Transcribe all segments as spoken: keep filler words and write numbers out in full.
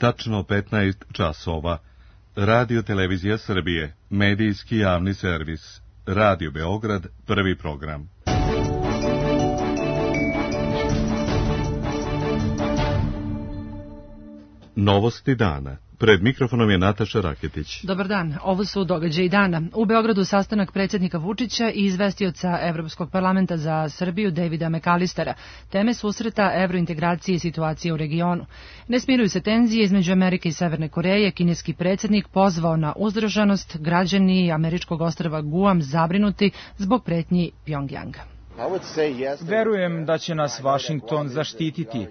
tačno petnaest časova. Radio Televizija Srbije, medijski javni servis. Radio Beograd, prvi program. Novosti dana. Pred mikrofonom je Nataša Raketić. Dobar dan, ovo su događaji dana. U Beogradu sastanak predsjednika Vučića i izvestioca Evropskog parlamenta za Srbiju Davida McAllistera. Teme susreta evrointegracije i situacije u regionu. Ne smiruju se tenzije između Amerike i Severne Koreje. Kineski predsjednik pozvao na uzdržanost, građani američkog ostrva Guam zabrinuti zbog pretnji Pjongjanga. Verujem da će nas Vašington zaštititi.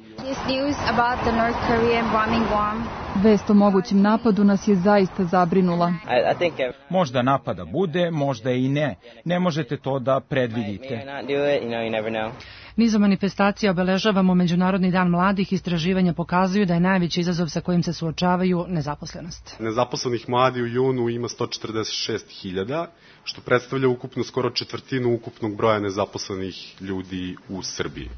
Vest o mogućem napadu nas je zaista zabrinula. Možda napada bude, možda i ne. Ne možete to da predvidite. Nizom manifestacija obeležavamo Međunarodni dan mladih. Istraživanja pokazuju da je najveći izazov sa kojim se suočavaju nezaposlenost. Nezaposlenih mladi u junu ima sto četrdeset šest hiljada, što predstavlja ukupno skoro četvrtinu ukupnog broja nezaposlenih ljudi u Srbiji.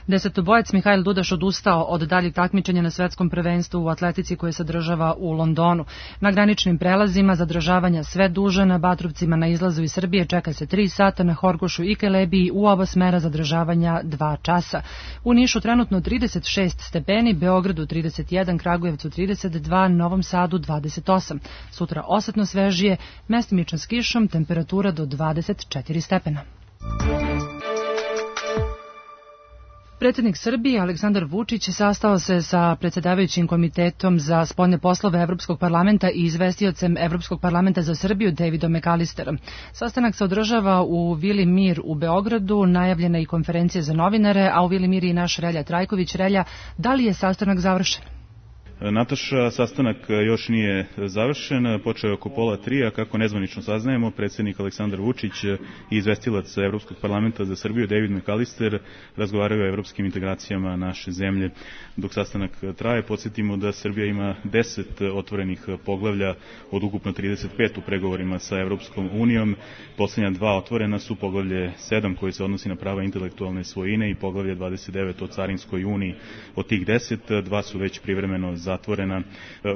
Desetobojac Mihajl Dudaš odustao od daljeg takmičenja na svetskom prvenstvu u atletici koje se održava u Londonu. Na graničnim prelazima zadržavanja sve duže, na Batrovcima na izlazu iz Srbije čeka se tri sata, na Horgošu i Kelebiji u oba smera zadržavanja dva časa. U Nišu trenutno trideset šest stepeni, Beogradu trideset jedan, Kragujevcu trideset dva, Novom Sadu dvadeset osam. Sutra osetno svežije, mestimično s kišom, temperatura do dvadeset četiri stepena. Predsjednik Srbije Aleksandar Vučić sastao se sa predsjedavajućim komitetom za spoljne poslove Evropskog parlamenta i izvestiocem Evropskog parlamenta za Srbiju Davidom McAllisterom. Sastanak se održava u Vili Mir u Beogradu, najavljena i konferencija za novinare, a u Vili Mir je i naš Relja Trajković. Relja, da li je sastanak završen? Nataša, sastanak još nije završen, počeo je oko pola tri, a kako nezvanično saznajemo, predsjednik Aleksandar Vučić i izvestilac Evropskog parlamenta za Srbiju David McAllister razgovaraju o evropskim integracijama naše zemlje. Dok sastanak traje, podsjetimo da Srbija ima deset otvorenih poglavlja od ukupno trideset pet u pregovorima sa Evropskom unijom. Posljednja dva otvorena su poglavlje sedam koji se odnosi na prava intelektualne svojine i poglavlje dvadeset devet o Carinskoj uniji. Od tih deset, dva su već privremeno zatvorena.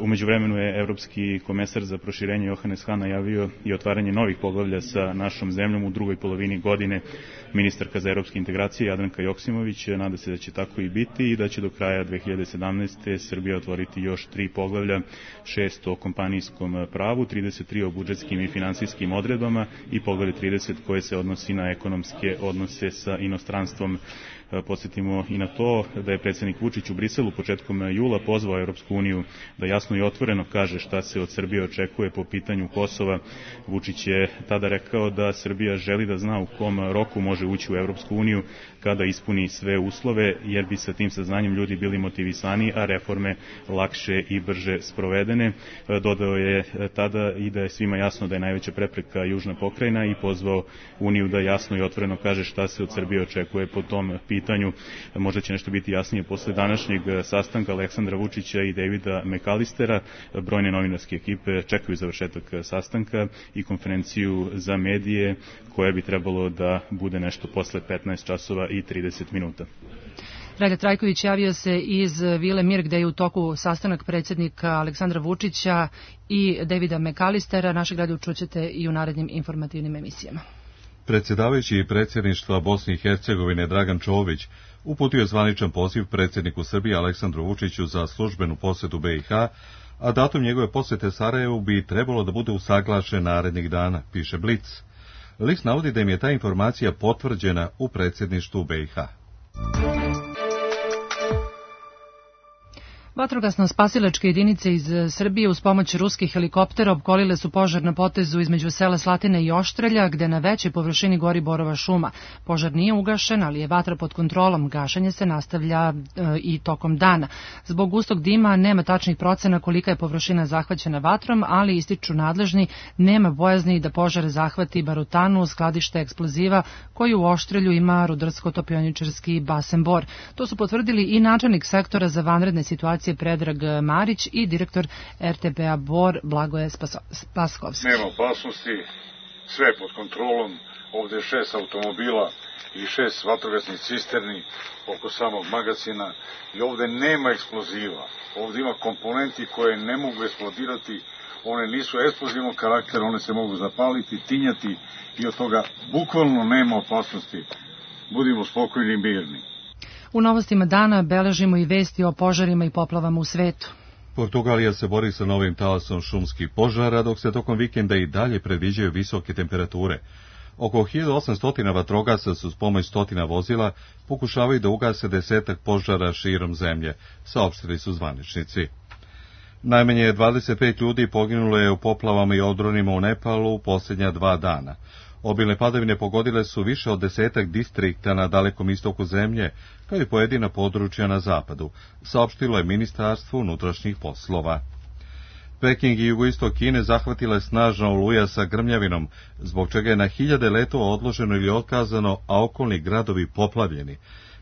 U međuvremenu je Evropski komesar za proširenje Johannes Hahn najavio i otvaranje novih poglavlja sa našom zemljom u drugoj polovini godine. Ministarka za evropske integracije Jadranka Joksimović nada se da će tako i biti i da će do kraja dve hiljade sedamnaeste. Srbija otvoriti još tri poglavlja, šest o kompanijskom pravu, trideset tri o budžetskim i finansijskim odredbama i poglavlje trideset koje se odnosi na ekonomske odnose sa inostranstvom. Podsjetimo i na to da je predsjednik Vučić u Briselu početkom jula pozvao Evropsku uniju da jasno i otvoreno kaže šta se od Srbije očekuje po pitanju Kosova. Vučić je tada rekao da Srbija želi da zna u kom roku može ući u Evropsku uniju kada ispuni sve uslove, jer bi sa tim saznanjem ljudi bili motivisani, a reforme lakše i brže sprovedene. Dodao je tada i da je svima jasno da je najveća prepreka južna pokrajina i pozvao Uniju da jasno i otvoreno kaže šta se od Srbije očekuje po tom pitanju. Možda će nešto biti jasnije posle današnjeg sastanka Aleksandra Vučića i Davida McAllistera. Brojne novinarske ekipe čekaju završetak sastanka i konferenciju za medije koja bi trebalo da bude nešto posle petnaest časova i trideset minuta. Relja Trajković javio se iz Vile Mir gde je u toku sastanak predsjednika Aleksandra Vučića i Davida McAllistera. Naše gledaju čućete i u narednim informativnim emisijama. Predsjedavajući predsjedništva Bosne i Hercegovine Dragan Čović uputio je zvaničan poziv predsjedniku Srbije Aleksandru Vučiću za službenu posjetu be i ha, a datum njegove posjete Sarajevu bi trebalo da bude usaglašen narednih dana, piše Blic. List navodi da im je ta informacija potvrđena u predsjedništvu be i ha. Vatrogasno-spasilačke jedinice iz Srbije uz pomoć ruskih helikoptera opkolile su požar na potezu između sela Slatine i Oštrelja, gde na većoj površini gori borova šuma. Požar nije ugašen, ali je vatra pod kontrolom. Gašenje se nastavlja e, i tokom dana. Zbog gustog dima nema tačnih procena kolika je površina zahvaćena vatrom, ali ističu nadležni, nema bojazni da požar zahvati barutanu, skladište eksploziva koji u Oštrelju ima rudarsko-topioničarski basen Bor. To su potvrdili i načelnik sektora za vanredne situacije Predrag Marić i direktor er te pe a Bor Blagoje Spaskovski. Nema opasnosti, sve je pod kontrolom, ovde je šest automobila i šest vatrogasnih cisterni oko samog magacina i ovde nema eksploziva. Ovde ima komponenti koje ne mogu eksplodirati, one nisu eksplozivnog karaktera, one se mogu zapaliti, tinjati i od toga bukvalno nema opasnosti. Budimo spokojni i mirni. U novostima dana beležimo i vesti o požarima i poplavama u svetu. Portugalija se bori sa novim talasom šumskih požara, dok se tokom vikenda i dalje predviđaju visoke temperature. Oko hiljadu osamsto vatrogasaca su s pomoć stotina vozila pokušavaju da ugase desetak požara širom zemlje, saopštili su zvaničnici. Najmanje dvadeset pet ljudi poginulo je u poplavama i odronima u Nepalu u posljednja dva dana. Obilne padavine pogodile su više od desetak distrikta na dalekom istoku zemlje, kao i pojedina područja na zapadu, saopštilo je Ministarstvo unutrašnjih poslova. Peking i jugoistok Kine zahvatila je snažna oluja sa grmljavinom, zbog čega je na hiljade letova odloženo ili otkazano, a okolni gradovi poplavljeni.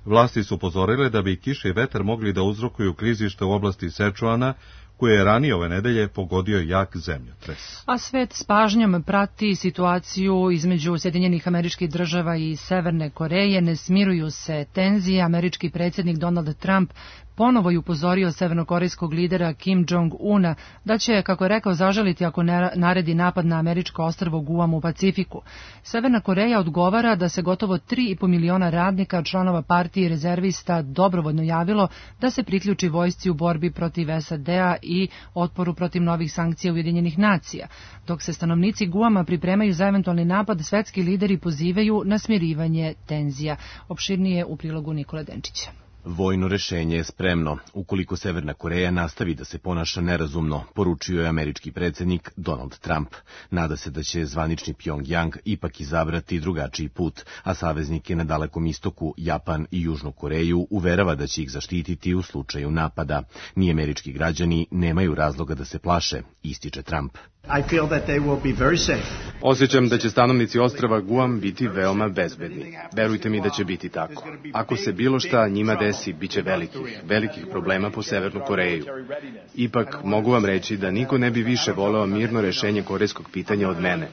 Vlasti su upozorile da bi kiša i vetar mogli da uzrokuju klizište u oblasti Sečuana, koje je ranije ove nedelje pogodio jak zemljotres. A svet s pažnjom prati situaciju između Sjedinjenih Američkih Država i Severne Koreje. Ne smiruju se tenzije. Američki predsjednik Donald Trump ponovo je upozorio severnokorejskog lidera Kim Jong-una da će, kako je rekao, zažaliti ako naredi napad na američko ostrvo Guam u Pacifiku. Severna Koreja odgovara da se gotovo tri i po miliona radnika, članova partije i rezervista dobrovoljno javilo da se priključi vojsci u borbi protiv S A D-a i otporu protiv novih sankcija Ujedinjenih nacija. Dok se stanovnici Guama pripremaju za eventualni napad, svetski lideri pozivaju na smirivanje tenzija. Opširnije u prilogu Nikole Denčića. Vojno rešenje je spremno, ukoliko Severna Koreja nastavi da se ponaša nerazumno, poručio je američki predsjednik Donald Trump. Nada se da će zvanični Pjongjang ipak izabrati drugačiji put, a saveznike na Dalekom istoku, Japan i Južnu Koreju uverava da će ih zaštititi u slučaju napada. Ni američki građani nemaju razloga da se plaše, ističe Trump. Osjećam da će stanovnici ostrva Guam biti veoma bezbedni. Verujte mi da će biti tako. Ako se bilo šta njima desi, bit će velikih, velikih problema po Severnu Koreju. Ipak mogu vam reći da niko ne bi više voleo mirno rešenje korejskog pitanja od mene.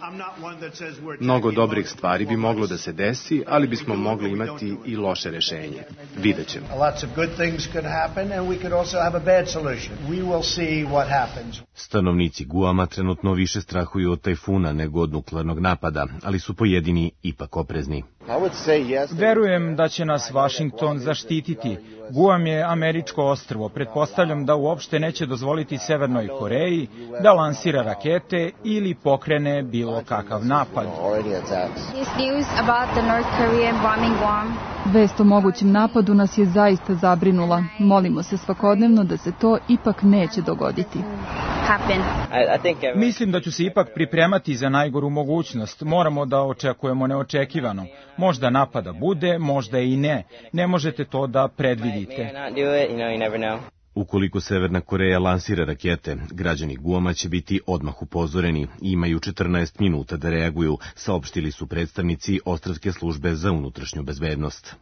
Mnogo dobrih stvari bi moglo da se desi, ali bismo mogli imati i loše rešenje. Vidjet ćemo. Stanovnici Guama trenutno više strahuju od tajfuna nego od nuklearnog napada, ali su pojedini ipak oprezni. Verujem da će nas Vašington zaštititi. Guam je američko ostrvo. Pretpostavljam da uopšte neće dozvoliti Severnoj Koreji da lansira rakete ili pokrene bilo kakav napad. Vest o mogućem napadu nas je zaista zabrinula. Molimo se svakodnevno da se to ipak neće dogoditi. Mislim da ću se ipak pripremati za najgoru mogućnost. Moramo da očekujemo neočekivano. Možda napada bude, možda i ne. Ne možete to da predvidite. Ukoliko Severna Koreja lansira rakete, građani Guama će biti odmah upozoreni i imaju četrnaest minuta da reaguju, saopštili su predstavnici Ostrvske službe za unutrašnju bezbednost.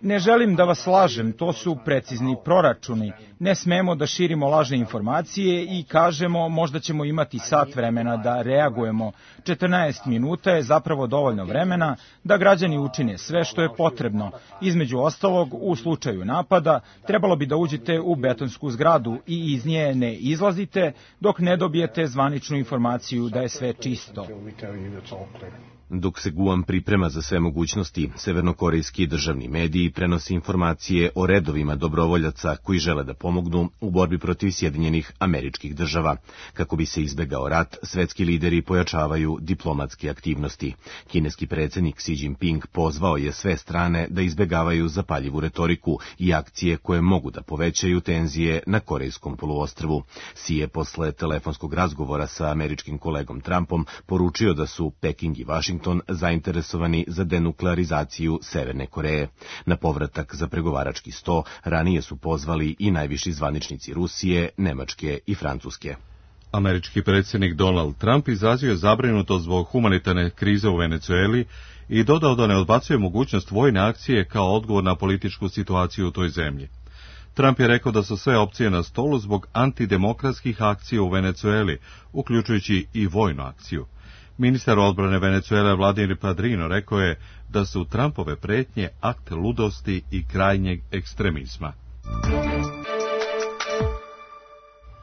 Ne želim da vas lažem, to su precizni proračuni. Ne smemo da širimo lažne informacije i kažemo možda ćemo imati sat vremena da reagujemo. četrnaest minuta je zapravo dovoljno vremena da građani učine sve što je potrebno. Između ostalog, u slučaju napada, trebalo bi da uđete u betonsku zgradu i iz nje ne izlazite dok ne dobijete zvaničnu informaciju da je sve čisto. Dok se Guam priprema za sve mogućnosti, severnokorejski državni mediji prenose informacije o redovima dobrovoljaca koji žele da pomognu u borbi protiv Sjedinjenih Američkih Država. Kako bi se izbegao rat, svetski lideri pojačavaju diplomatske aktivnosti. Kineski predsjednik Xi Jinping pozvao je sve strane da izbegavaju zapaljivu retoriku i akcije koje mogu da povećaju tenzije na Korejskom poluostrvu. Xi je posle telefonskog razgovora sa američkim kolegom Trumpom poručio da su Peking i Washington zainteresovani za denuklearizaciju Severne Koreje. Na povratak za pregovarački sto ranije su pozvali i najviši zvaničnici Rusije, Nemačke i Francuske. Američki predsjednik Donald Trump izrazio je zabrinutost zbog humanitarne krize u Venecueli i dodao da ne odbacuje mogućnost vojne akcije kao odgovor na političku situaciju u toj zemlji. Trump je rekao da su sve opcije na stolu zbog antidemokratskih akcija u Venecueli, uključujući i vojnu akciju. Ministar odbrane Venecuele Vladimir Padrino rekao je da su Trumpove pretnje akt ludosti i krajnjeg ekstremizma.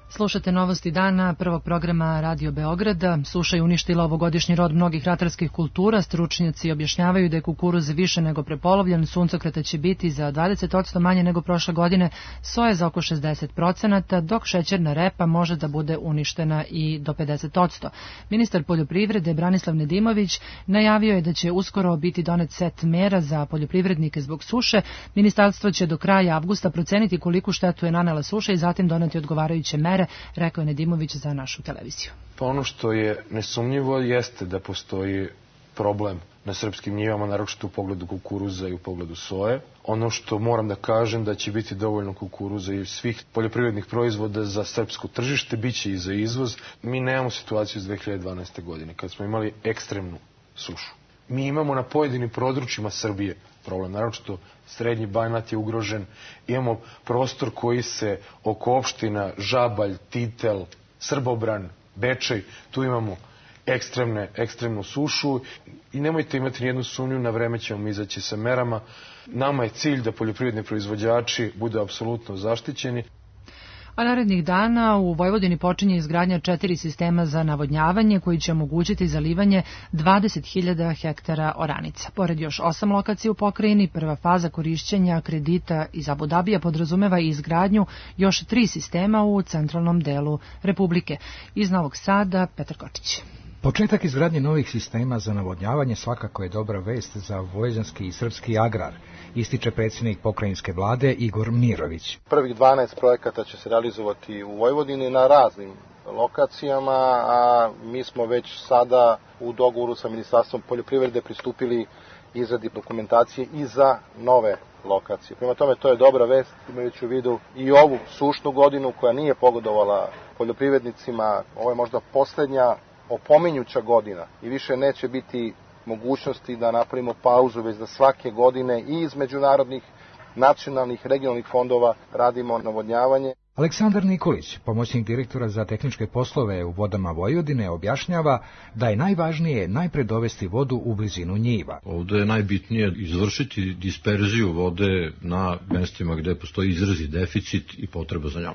Slušate novosti dana prvog programa Radio Beograda. Suša je uništila ovogodišnji rod mnogih ratarskih kultura. Stručnjaci objašnjavaju da je kukuruz više nego prepolovljen, suncokreta će biti za dvadeset posto manje nego prošle godine, soja za oko šezdeset posto, dok šećerna repa može da bude uništena i do pedeset posto. Ministar poljoprivrede Branislav Nedimović najavio je da će uskoro biti donet set mera za poljoprivrednike zbog suše. Ministarstvo će do kraja avgusta proceniti koliku štetu je nanela suša i zatim doneti odgovarajuće mere, rekao je Nedimović za našu televiziju. Pa ono što je nesumnjivo jeste da postoji problem na srpskim njivama, naročito u pogledu kukuruza i u pogledu soje. Ono što moram da kažem da će biti dovoljno kukuruza i svih poljoprivrednih proizvoda za srpsko tržište, bit će i za izvoz. Mi nemamo situaciju iz dve hiljade dvanaeste. godine, kad smo imali ekstremnu sušu. Mi imamo na pojedinim područjima Srbije problem, naročito Srednji Banat je ugrožen. Imamo prostor koji se oko opština Žabalj, Titel, Srbobran, Bečej, tu imamo ekstremne, ekstremnu sušu i nemojte imati nijednu sumnju, na vreme ćemo izaći sa merama. Nama je cilj da poljoprivredni proizvođači budu apsolutno zaštićeni. A narednih dana u Vojvodini počinje izgradnja četiri sistema za navodnjavanje koji će omogućiti zalivanje dvadeset hiljada hektara oranica. Pored još osam lokacija u pokrajini, prva faza korišćenja kredita iz Abu Dabija podrazumeva i izgradnju još tri sistema u centralnom delu Republike. Iz Novog Sada, Petar Kočić. Početak izgradnje novih sistema za navodnjavanje svakako je dobra vest za vojvođanski i srpski agrar, ističe predsjednik pokrajinske vlade Igor Mirović. Prvih dvanaest projekata će se realizovati u Vojvodini na raznim lokacijama, a mi smo već sada u dogovoru sa Ministarstvom poljoprivrede pristupili izradi dokumentacije i za nove lokacije. Prema tome, to je dobra vest, imajući u vidu i ovu sušnu godinu koja nije pogodovala poljoprivrednicima. Ovo je možda posljednja opominjuća godina i više neće biti mogućnosti da napravimo pauzu, već da svake godine i iz međunarodnih, nacionalnih, regionalnih fondova radimo navodnjavanje. Aleksandar Nikolić, pomoćnik direktora za tehničke poslove u Vodama Vojvodine, objašnjava da je najvažnije najpre dovesti vodu u blizinu njiva. Ovde je najbitnije izvršiti disperziju vode na mestima gde postoji izrazi deficit i potreba za njom.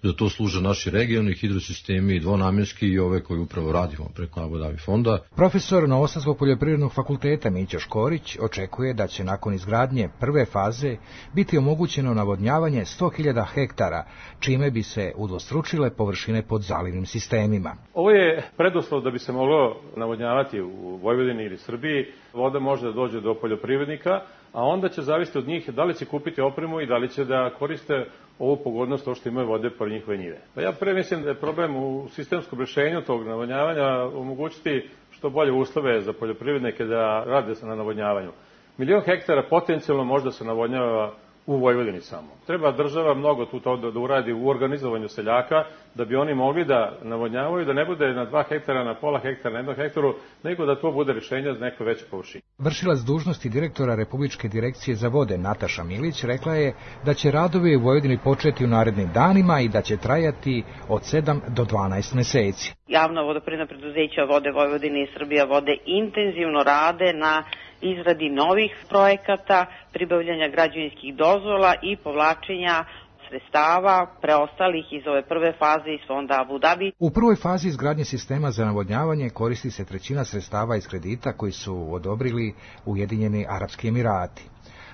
Za to služe naši regionalni hidrosistemi, dvonamjenski i ove koje upravo radimo preko Abu Dhabi fonda. Profesor Novosadskog poljoprivrednog fakulteta Mića Škorić očekuje da će nakon izgradnje prve faze biti omogućeno navodnjavanje sto hiljada hektara, čime bi se udvostručile površine pod zalivnim sistemima. Ovo je preduslov da bi se moglo navodnjavati u Vojvodini ili Srbiji. Voda može da dođe do poljoprivrednika, a onda će zavisiti od njih da li će kupiti opremu i da li će da koriste ovu pogodnost to što imaju vode pored njihove njive. Pa ja pre mislim da je problem u sistemskom rešenju tog navodnjavanja omogućiti što bolje uslove za poljoprivrednike da rade na navodnjavanju. Milion hektara potencijalno možda se navodnjava u Vojvodini samo. Treba država mnogo tu to da uradi u organizovanju seljaka, da bi oni mogli da navodnjavaju, da ne bude na dva hektara, na pola hektara, na jednom hektaru, nego da to bude rješenje za neko veće površine. Vršilac dužnosti direktora Republičke direkcije za vode Nataša Milić rekla je da će radovi u Vojvodini početi u narednim danima i da će trajati od sedam do dvanaest meseci. Javna vodoprivredna preduzeća Vode Vojvodine i Srbija vode intenzivno rade na izradi novih projekata, pribavljanja građevinskih dozvola i povlačenja sredstava preostalih iz ove prve faze iz fonda Abu Dhabi. U prvoj fazi izgradnje sistema za navodnjavanje koristi se trećina sredstava iz kredita koji su odobrili Ujedinjeni Arapski Emirati.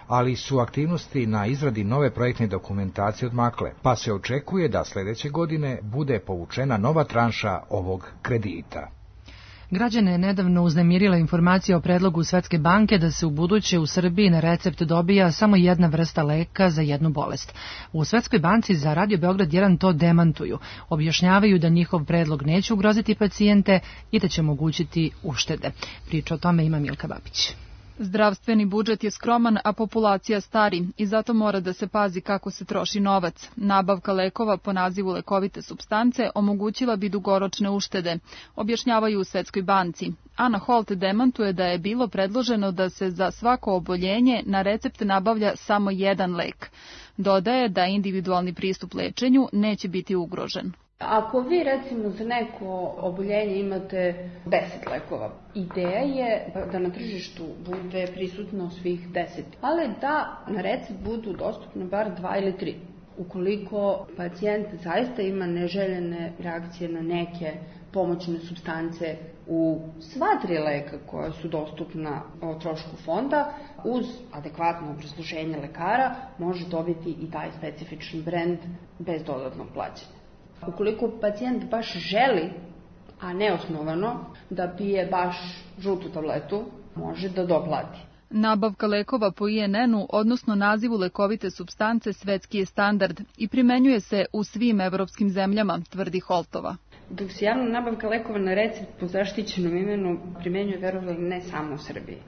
Ali su aktivnosti na izradi nove projektne dokumentacije odmakle, pa se očekuje da sljedeće godine bude povučena nova tranša ovog kredita. Građane je nedavno uznemirila informacija o predlogu Svetske banke da se u buduće u Srbiji na recept dobija samo jedna vrsta leka za jednu bolest. U Svetskoj banci za Radio Beograd jedan to demantuju. Objašnjavaju da njihov predlog neće ugroziti pacijente i da će omogućiti uštede. Priča o tome ima Milka Babić. Zdravstveni budžet je skroman, a populacija stari i zato mora da se pazi kako se troši novac. Nabavka lekova po nazivu lekovite supstance omogućila bi dugoročne uštede, objašnjavaju u Svetskoj banci. Ana Holt demantuje da je bilo predloženo da se za svako oboljenje na recept nabavlja samo jedan lek. Dodaje da individualni pristup lečenju neće biti ugrožen. Ako vi recimo za neko oboljenje imate deset lekova, ideja je da na tržištu bude prisutno svih deset, ali da na recept budu dostupne bar dva ili tri. Ukoliko pacijent zaista ima neželjene reakcije na neke pomoćne supstance u sva tri leka koja su dostupna o trošku fonda, uz adekvatno obrazloženje lekara može dobiti i taj specifični brend bez dodatnog plaćanja. Ukoliko pacijent baš želi, a neosnovano, da pije baš žutu tabletu, može da doplati. Nabavka lekova po I N N-u, odnosno nazivu lekovite supstance, svetski je standard i primenjuje se u svim evropskim zemljama, tvrdi Holtova. Dok se javna nabavka lekova na recept po zaštićenom imenu primenjuje, verovali, ne samo u Srbiji.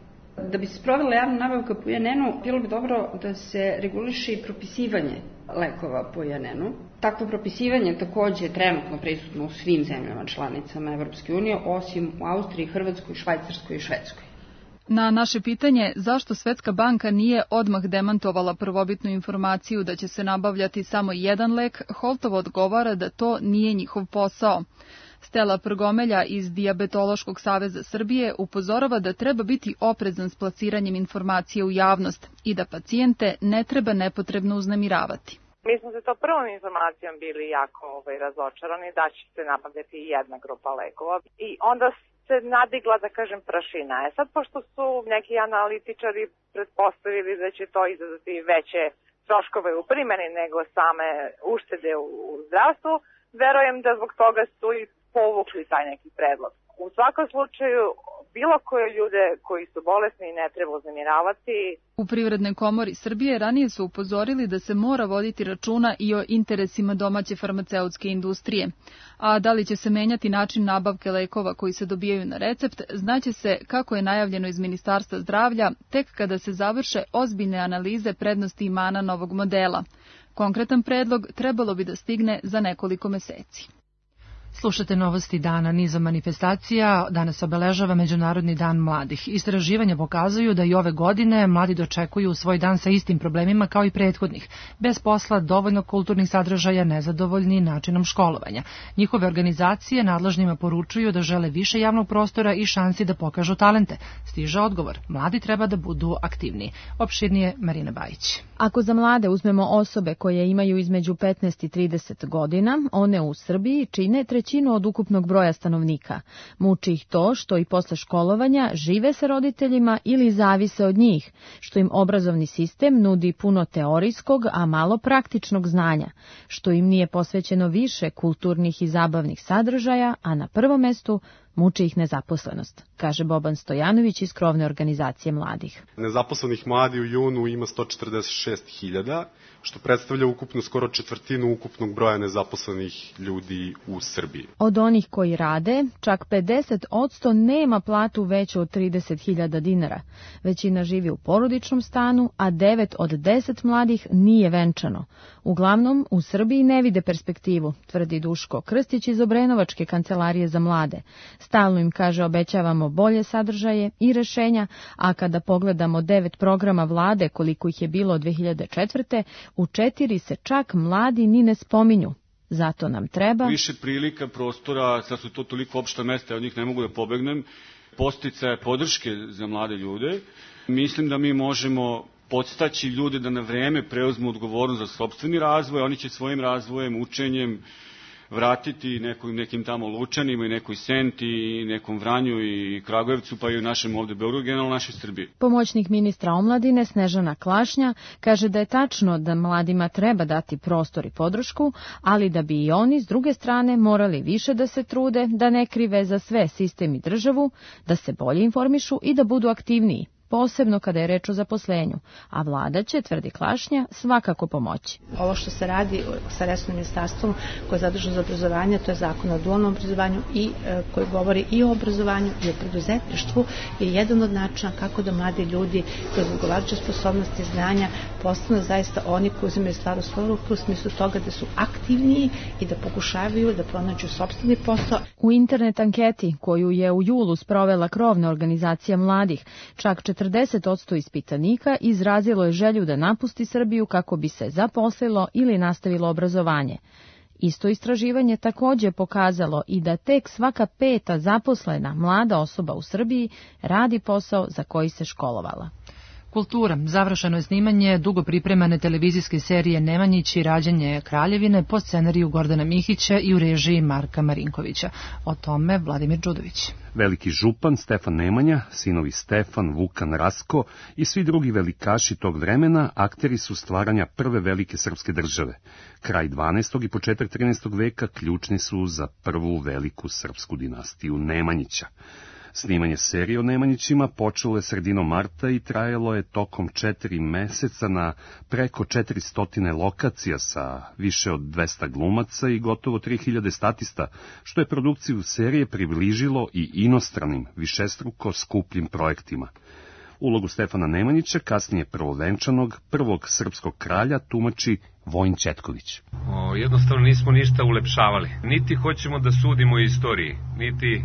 Da bi se sprovela javna nabavka po I N N-u, bilo bi dobro da se reguliše i propisivanje lekova po I N N-u. Takvo propisivanje takođe je trenutno prisutno u svim zemljama članicama Evropske unije, osim u Austriji, Hrvatskoj, Švajcarskoj i Švedskoj. Na naše pitanje zašto Svetska banka nije odmah demantovala prvobitnu informaciju da će se nabavljati samo jedan lek, Holtov odgovara da to nije njihov posao. Stela Prgomelja iz Dijabetološkog saveza Srbije upozorava da treba biti oprezan s plasiranjem informacije u javnost i da pacijente ne treba nepotrebno uznemiravati. Mi smo se to prvom informacijom bili jako ovaj, razočarani da će se nabavljati jedna grupa lekova i onda se nadigla, da kažem, prašina. E sad, pošto su neki analitičari pretpostavili da će to izazvati veće troškove u primjeni nego same uštede u zdravstvu, verujem da zbog toga su i povukli taj neki predlog. U svakom slučaju, bilo koje ljude koji su bolesni ne treba uznemiravati. U Privrednoj komori Srbije ranije su upozorili da se mora voditi računa i o interesima domaće farmaceutske industrije. A da li će se menjati način nabavke lekova koji se dobijaju na recept, znaće se, kako je najavljeno iz Ministarstva zdravlja, tek kada se završe ozbiljne analize prednosti i mana novog modela. Konkretan predlog trebalo bi da stigne za nekoliko meseci. Slušate novosti dana. Nizom manifestacija danas obeležava Međunarodni dan mladih. Istraživanja pokazuju da i ove godine mladi dočekuju svoj dan sa istim problemima kao i prethodnih. Bez posla, dovoljno kulturnih sadržaja, nezadovoljni načinom školovanja. Njihove organizacije nadležnima poručuju da žele više javnog prostora i šansi da pokažu talente. Stiže odgovor. Mladi treba da budu aktivniji. Opširnije Marina Bajić. Ako za mlade uzmemo osobe koje imaju između petnaest i trideset godina, one u Srbiji čine trećinu od ukupnog broja stanovnika. Muči ih to što i posle školovanja žive sa roditeljima ili zavise od njih, što im obrazovni sistem nudi puno teorijskog, a malo praktičnog znanja, što im nije posvećeno više kulturnih i zabavnih sadržaja, a na prvom mestu muči ih nezaposlenost, kaže Boban Stojanović iz krovne organizacije mladih. Nezaposlenih mladi u junu ima sto četrdeset šest hiljada, što predstavlja ukupno skoro četvrtinu ukupnog broja nezaposlenih ljudi u Srbiji. Od onih koji rade, čak pedeset posto nema platu veću od trideset hiljada dinara. Većina živi u porodičnom stanu, a devet od deset mladih nije venčano. Uglavnom, u Srbiji ne vide perspektivu, tvrdi Duško Krstić iz Obrenovačke kancelarije za mlade. Stalno im kaže obećavamo bolje sadržaje i rešenja, a kada pogledamo devet programa vlade koliko ih je bilo od dve hiljade četvrte. U četiri se čak mladi ni ne spominju. Zato nam treba više prilika, prostora, sad su to toliko opšta mesta, od njih ne mogu da pobegnem, podsticaje, podrške za mlade ljude. Mislim da mi možemo podstaći ljude da na vreme preuzmu odgovornost za sopstveni razvoj, oni će svojim razvojem, učenjem vratiti nekim, nekim tamo Lučanima i nekoj Senti i nekom Vranju i Kragujevcu, pa i u našem ovde Beogradu, generalno našoj Srbiji. Pomoćnik ministra omladine Snežana Klašnja kaže da je tačno da mladima treba dati prostor i podršku, ali da bi i oni s druge strane morali više da se trude, da ne krive za sve sistem i državu, da se bolje informišu i da budu aktivniji, posebno kada je reč o zaposlenju, a vlada će, tvrdi Klašnja, svakako pomoći. Ovo što se radi sa resornim ministarstvom koje je zaduženo za obrazovanje, to je zakon o dualnom obrazovanju i e, koji govori i o obrazovanju i o preduzetništvu, je jedan od načina kako da mladi ljudi kroz odgovarajuće sposobnosti znanja postanu zaista oni koji uzimaju stvar u svoju ruku u smislu toga da su aktivniji i da pokušavaju da pronađu sopstveni posao. U internet anketi koju je u julu sprovela krovna organizacija mladih, čak četrdeset posto ispitanika izrazilo je želju da napusti Srbiju kako bi se zaposlilo ili nastavilo obrazovanje. Isto istraživanje takođe je pokazalo i da tek svaka peta zaposlena mlada osoba u Srbiji radi posao za koji se školovala. Kultura. Završeno je snimanje dugo pripremane televizijske serije Nemanjići i rađanje Kraljevine po scenariju Gordana Mihića i u režiji Marka Marinkovića. O tome Vladimir Đudović. Veliki župan Stefan Nemanja, sinovi Stefan, Vukan, Rasko i svi drugi velikaši tog vremena akteri su stvaranja prve velike srpske države. Kraj dvanaestog i početak trinaestog veka ključni su za prvu veliku srpsku dinastiju Nemanjića. Snimanje serije o Nemanjićima počelo je sredinom marta i trajalo je tokom četiri meseca na preko četiristo lokacija sa više od dvesta glumaca i gotovo tri hiljade statista, što je produkciju serije približilo i inostranim, višestruko skupljim projektima. Ulogu Stefana Nemanjića, kasnije prvovenčanog, prvog srpskog kralja, tumači Vojin Ćetković. O, jednostavno nismo ništa ulepšavali. Niti hoćemo da sudimo istoriji, niti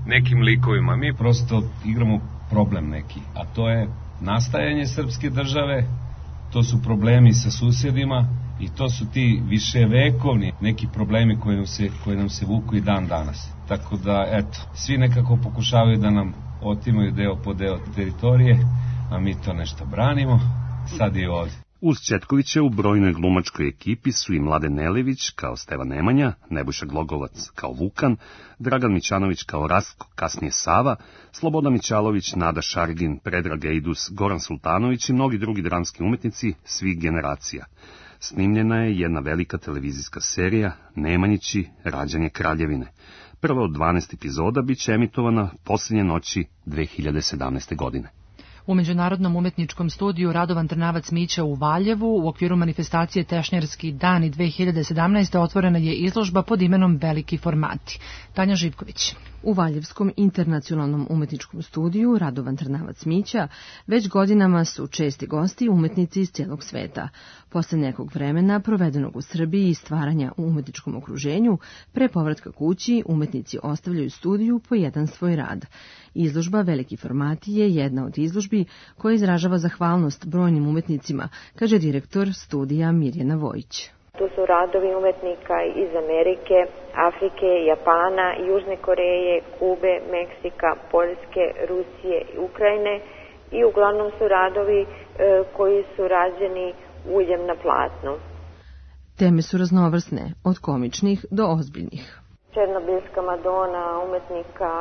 nekim likovima. Mi prosto igramo problem neki, a to je nastajanje srpske države, to su problemi sa susjedima i to su ti viševekovni neki problemi koji nam se, koji nam se vuku i dan danas. Tako da, eto, svi nekako pokušavaju da nam otimaju deo po deo teritorije, a mi to nešto branimo, sad i ovdje. Uz Ćetkovića u brojnoj glumačkoj ekipi su i Mladen Nelević kao Stevan Nemanja, Nebojša Glogovac kao Vukan, Dragan Mićanović kao Rastko, kasnije Sava, Slobodan Mićalović, Nada Šargin, Predrag Ejdus, Goran Sultanović i mnogi drugi dramski umetnici svih generacija. Snimljena je jedna velika televizijska serija Nemanjići, rađanje Kraljevine. Prva od dvanaest epizoda biće emitovana posljednje noći dve hiljade sedamnaeste. godine. U Međunarodnom umetničkom studiju Radovan Trnavac Mića u Valjevu u okviru manifestacije Tešnjerski dani dve hiljade sedamnaeste. otvorena je izložba pod imenom Veliki formati. Tanja Živković. U Valjevskom internacionalnom umetničkom studiju Radovan Trnavac Mića već godinama su česti gosti umetnici iz cijelog sveta. Posle nekog vremena provedenog u Srbiji i stvaranja u umetničkom okruženju, pre povratka kući umetnici ostavljaju studiju po jedan svoj rad. Izložba Veliki formati je jedna od izložbi koja izražava zahvalnost brojnim umetnicima, kaže direktor studija Mirjana Vojić. Tu su radovi umetnika iz Amerike, Afrike, Japana, Južne Koreje, Kube, Meksika, Poljske, Rusije i Ukrajine i uglavnom su radovi e, koji su rađeni uljem na platnu. Teme su raznovrsne, od komičnih do ozbiljnih. Černobilska Madona umetnika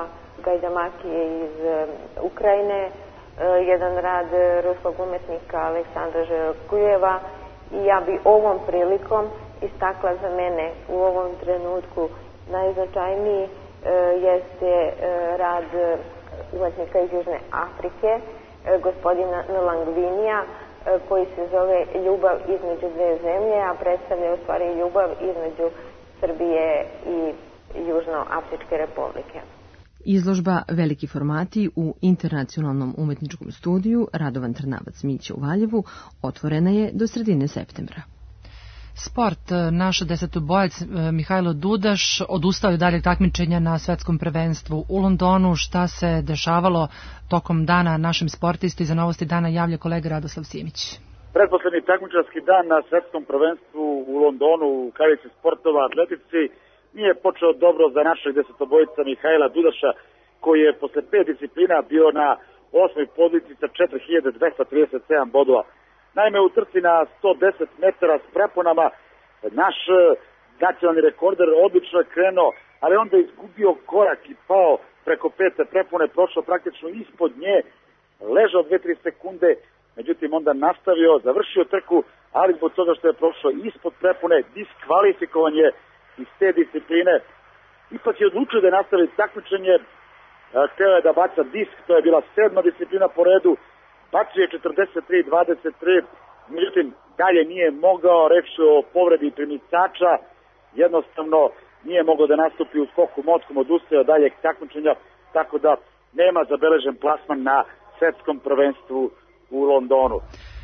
Gajdamakije iz e, Ukrajine, e, jedan rad ruskog umetnika Aleksandra Želkujeva. I ja bi ovom prilikom istakla za mene u ovom trenutku najznačajniji e, jeste e, rad umetnika iz Južne Afrike, e, gospodina Nlangvinija, e, koji se zove Ljubav između dve zemlje, a predstavlja u stvari ljubav između Srbije i Južnoafričke republike. Izložba Veliki formati u internacionalnom umetničkom studiju Radovan Trnavac Mića u Valjevu otvorena je do sredine septembra. Sport. Naš desetobojac Mihajlo Dudaš odustao je daljeg takmičenja na svetskom prvenstvu u Londonu. Šta se dešavalo tokom dana našim sportisti? Za Novosti dana javlja kolega Radoslav Simić. Pretposlednji takmičarski dan na svetskom prvenstvu u Londonu u kavici sportova atletici nije počeo dobro za našeg desetobojca Mihajla Dudaša, koji je posle pet disciplina bio na osmoj poziciji sa četiri hiljade dvesta trideset sedam bodova. Naime, u trci na sto deset metara s preponama naš nacionalni rekorder odlično je krenuo, ali onda je izgubio korak i pao preko pete prepone, prošao praktično ispod nje, ležao dve do tri sekunde, međutim onda nastavio, završio trku, ali zbog toga što je prošao ispod prepone, diskvalifikovan je iz te discipline. Ipak je odlučio da nastavi takmičenje, hteo je da baca disk, to je bila sedma disciplina po redu, bacio je četrdeset tri dvadeset tri, međutim dalje nije mogao, reč o povredi primicača, jednostavno nije mogao da nastupi u skoku mockom, odustao daljeg takmičenja, tako da nema zabeležen plasman na svetskom prvenstvu u Londonu.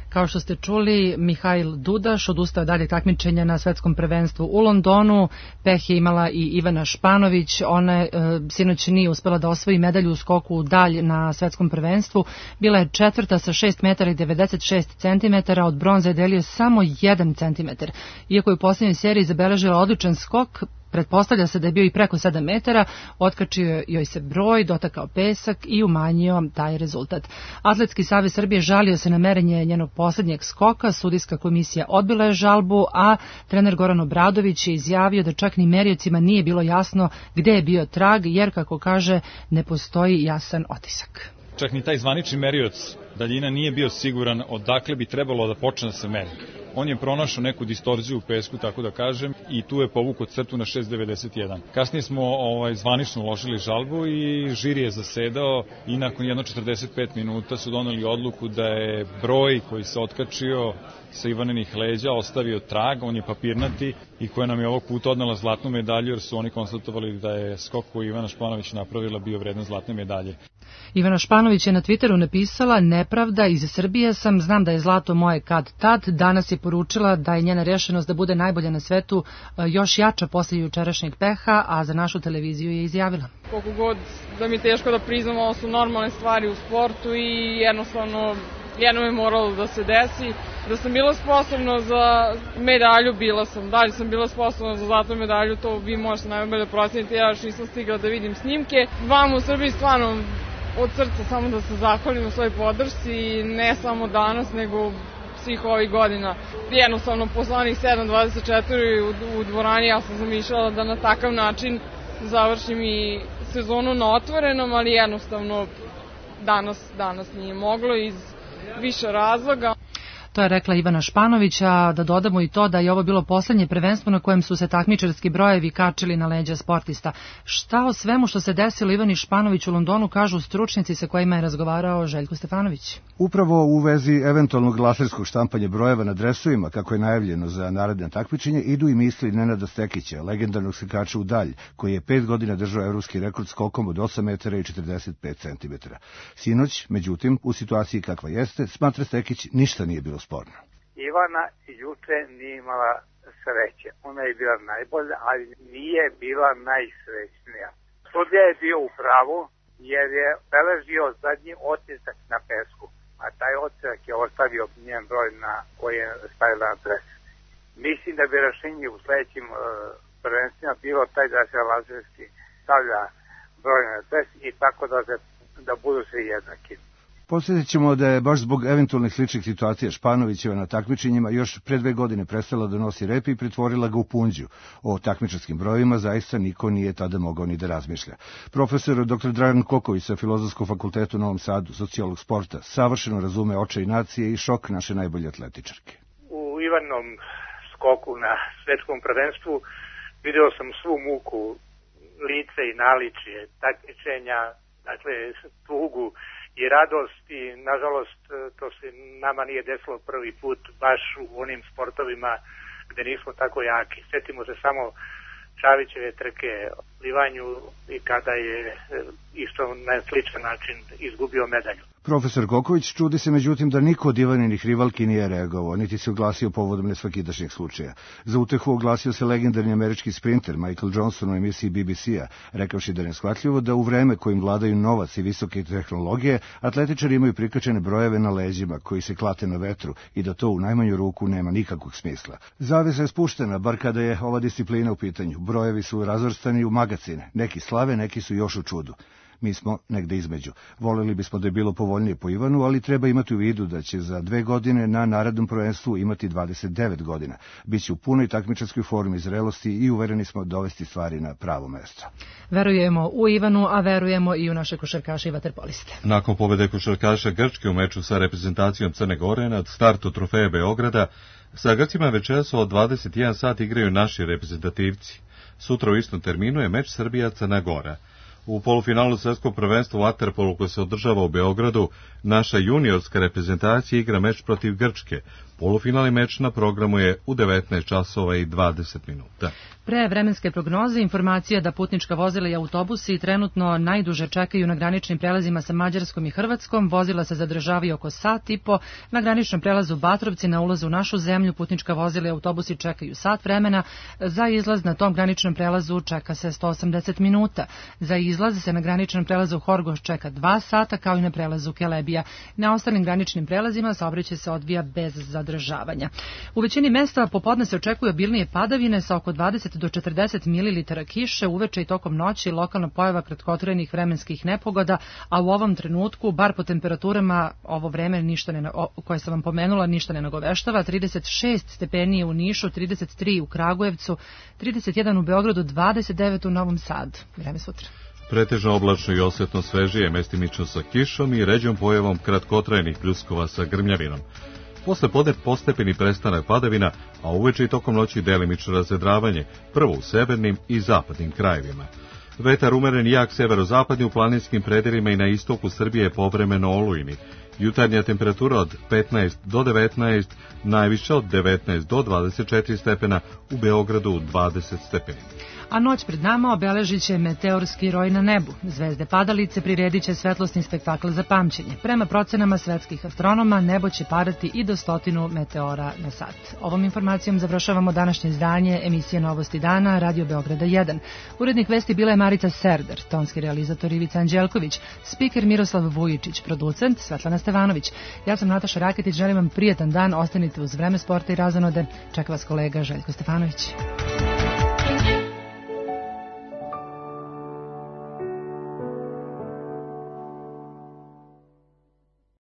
Kao što ste čuli, Mihajl Dudaš odustao dalje takmičenja na svetskom prvenstvu u Londonu. Peh je imala i Ivana Španović. Ona e, sinoć nije uspela da osvoji medalju u skoku u dalj na svetskom prvenstvu. Bila je četvrta sa šest metara i devedeset šest centimetara, od bronze je delio samo jedan centimetar. Iako je u posljednjoj seriji zabeležila odličan skok, pretpostavlja se da je bio i preko sedam metara, otkačio joj se broj, dotakao pesak i umanjio taj rezultat. Atletski savez Srbije žalio se na merenje njenog posljednjeg skoka, sudijska komisija odbila je žalbu, a trener Goran Obradović je izjavio da čak ni meriocima nije bilo jasno gde je bio trag, jer, kako kaže, ne postoji jasan otisak. Čak ni taj zvanični merioc daljina nije bio siguran odakle bi trebalo da počne da se meri. On je pronašao neku distorziju u pesku, tako da kažem, i tu je povukao crtu na šest zarez devedeset jedan. Kasnije smo ovaj, zvanično uložili žalbu i žiri je zasedao i nakon jedno četrdeset pet minuta su doneli odluku da je broj koji se otkačio sa Ivanenih leđa ostavio trag, on je papirnati i koja nam je ovog puta odnela zlatnu medalju, jer su oni konstatovali da je skok koji Ivana Španović napravila bio vredan zlatne medalje. Ivana Španović je na Twitteru napisala: nepravda, iz Srbije sam, znam da je zlato moje kad tad. Danas je poručila da je njena rešenost da bude najbolja na svetu još jača posle jučerašnjeg peha, a za našu televiziju je izjavila: koliko god da mi je teško da priznam, ovo su normalne stvari u sportu i jednostavno jednom je moralo da se desi. Da sam bila sposobna za medalju, bila sam. Da li sam bila sposobna za zlatnu medalju, to vi možete najbolje proceniti, ja još nisam stigla da vidim snimke. Vam u Srbiji stvarno od srca samo da se zahvalim u svojoj podršci, ne samo danas, nego svih ovih godina. Jednostavno, posle onih sedam dvadeset četiri u, u dvorani ja sam zamišljala da na takav način završim i sezonu na otvorenom, ali jednostavno danas, danas nije moglo iz više razloga. To je rekla Ivana Španović, a da dodamo i to da je ovo bilo poslednje prvenstvo na kojem su se takmičarski brojevi kačili na leđa sportista. Šta o svemu što se desilo Ivani Španović u Londonu kažu stručnjaci sa kojima je razgovarao Željko Stefanović? Upravo u vezi eventualnog laserskog štampanja brojeva na dresovima, kako je najavljeno za naredne takmičenje, idu i misli Nenada Stekića, legendarnog skakača u dalj, koji je pet godina držao evropski rekord skokom od osam metara i četrdeset pet centimetara. Sinoć, međutim, u situaciji kakva jeste, smatra Stekić, ništa nije bilo sporno. Ivana juče nije imala sreće. Ona je bila najbolja, ali nije bila najsrećnija. Sudija je bio u pravu jer je beležio zadnji otisak na pesku, a taj otisak je ostavio njen broj na koji je stavila na dres. Mislim da bi rešenje u sledećim uh, prvenstvima bilo taj da se lazerski stavlja broj na dres i tako da, se, da budu svi jednaki. Posjetit ćemo da je baš zbog eventualnih sličnih situacija Španovićeva na takmičenjima još pre dve godine prestala da nosi rep i pretvorila ga u punđu. O takmičarskim brojevima zaista niko nije tada mogao ni da razmišlja. Profesor doktor Dragan Koković sa Filozofskog fakulteta u Novom Sadu, sociolog sporta, savršeno razume očaj nacije i šok naše najbolje atletičarke. U Ivanom skoku na svetskom prvenstvu video sam svu muku, lice i naličje takmičenja, dakle tugu i radost i nažalost to se nama nije desilo prvi put baš u onim sportovima gde nismo tako jaki. Sjetimo se samo Čavićeve trke o plivanju i kada je isto na sličan način izgubio medalju. Profesor Koković čudi se međutim da niko od Ivaninih rivalki nije reagovao, niti se oglasio povodom nesvakidašnjeg slučaja. Za utehu oglasio se legendarni američki sprinter Michael Johnson u emisiji B B C-a, rekavši da je neshvatljivo da u vreme kojim vladaju novac i visoke tehnologije, atletičari imaju prikačene brojeve na leđima koji se klate na vetru i da to u najmanju ruku nema nikakvog smisla. Zavesa je spuštena, bar kada je ova disciplina u pitanju. Brojevi su razvrstani u magacine, neki slave, neki su još u čudu. Mi smo negde između. Voleli bismo da je bilo povoljnije po Ivanu, ali treba imati u vidu da će za dve godine na narednom prvenstvu imati dvadeset devet godina. Biće u punoj takmičarskoj formi zrelosti i uvereni smo dovesti stvari na pravo mesto. Verujemo u Ivanu, a verujemo i u naše košarkaše i vaterpoliste. Nakon pobede košarkaša Grčke u meču sa reprezentacijom Crne Gore nad startu trofeja Beograda, sa Grcima večeras od dvadeset jedan sat igraju naši reprezentativci. Sutra u istom terminu je meč Srbija-Crna Gora. U polufinalu svetskog prvenstva u waterpolu koje se održava u Beogradu, naša juniorska reprezentacija igra meč protiv Grčke. Polufinalni meč na programu je u devetnaest časova i dvadeset minuta. Pre vremenske prognoze informacija da putnička vozila i autobusi trenutno najduže čekaju na graničnim prelazima sa Mađarskom i Hrvatskom. Vozila se zadržavaju oko sat i po. Na graničnom prelazu Batrovci na ulazu u našu zemlju putnička vozila i autobusi čekaju sat vremena. Za izlaz na tom graničnom prelazu čeka se sto osamdeset minuta. Za izlaz se na graničnom prelazu Horgoš čeka dva sata, kao i na prelazu Kelebija. Na ostalim graničnim prelazima saobraćaj se odvija bez zadržavanja. U većini mesta popodne se očekuju obilnije padavine sa oko dvadeset do četrdeset mililitara kiše, uveče i tokom noći lokalna pojava kratkotrajnih vremenskih nepogoda, a u ovom trenutku, bar po temperaturama, ovo vreme ništa ne, o, koje sam vam pomenula ništa ne nagoveštava. trideset šest stepeni u Nišu, trideset tri u Kragujevcu, trideset jedan u Beogradu, dvadeset devet u Novom Sadu. Vreme sutra. Pretežno oblačno i osjetno svežije, mestimično sa kišom i ređom pojavom kratkotrajnih pljuskova sa grmljavinom. Posle podne postepeni prestanak padavina, a uveče i tokom noći delimično razvedravanje, prvo u severnim i zapadnim krajevima. Vetar umeren i jak severozapadni u planinskim predelima i na istoku Srbije je povremeno olujni. Jutarnja temperatura od petnaest do devetnaest, najviša od devetnaest do dvadeset četiri stepena, u Beogradu dvadeset stepeni. A noć pred nama obeležit će meteorski roj na nebu. Zvezde padalice priredit će svetlosni spektakl za pamćenje. Prema procenama svetskih astronoma, nebo će padati i do stotinu meteora na sat. Ovom informacijom završavamo današnje izdanje emisije Novosti dana Radio Beograda jedan. Urednik vesti bila je Marica Serder, tonski realizator Ivica Anđelković, spiker Miroslav Vujičić, producent Svetlana Stevanović. Ja sam Nataša Raketić, želim vam prijatan dan, ostanite uz Vreme sporta i razonode. Čeka vas kolega Željko Stefanović.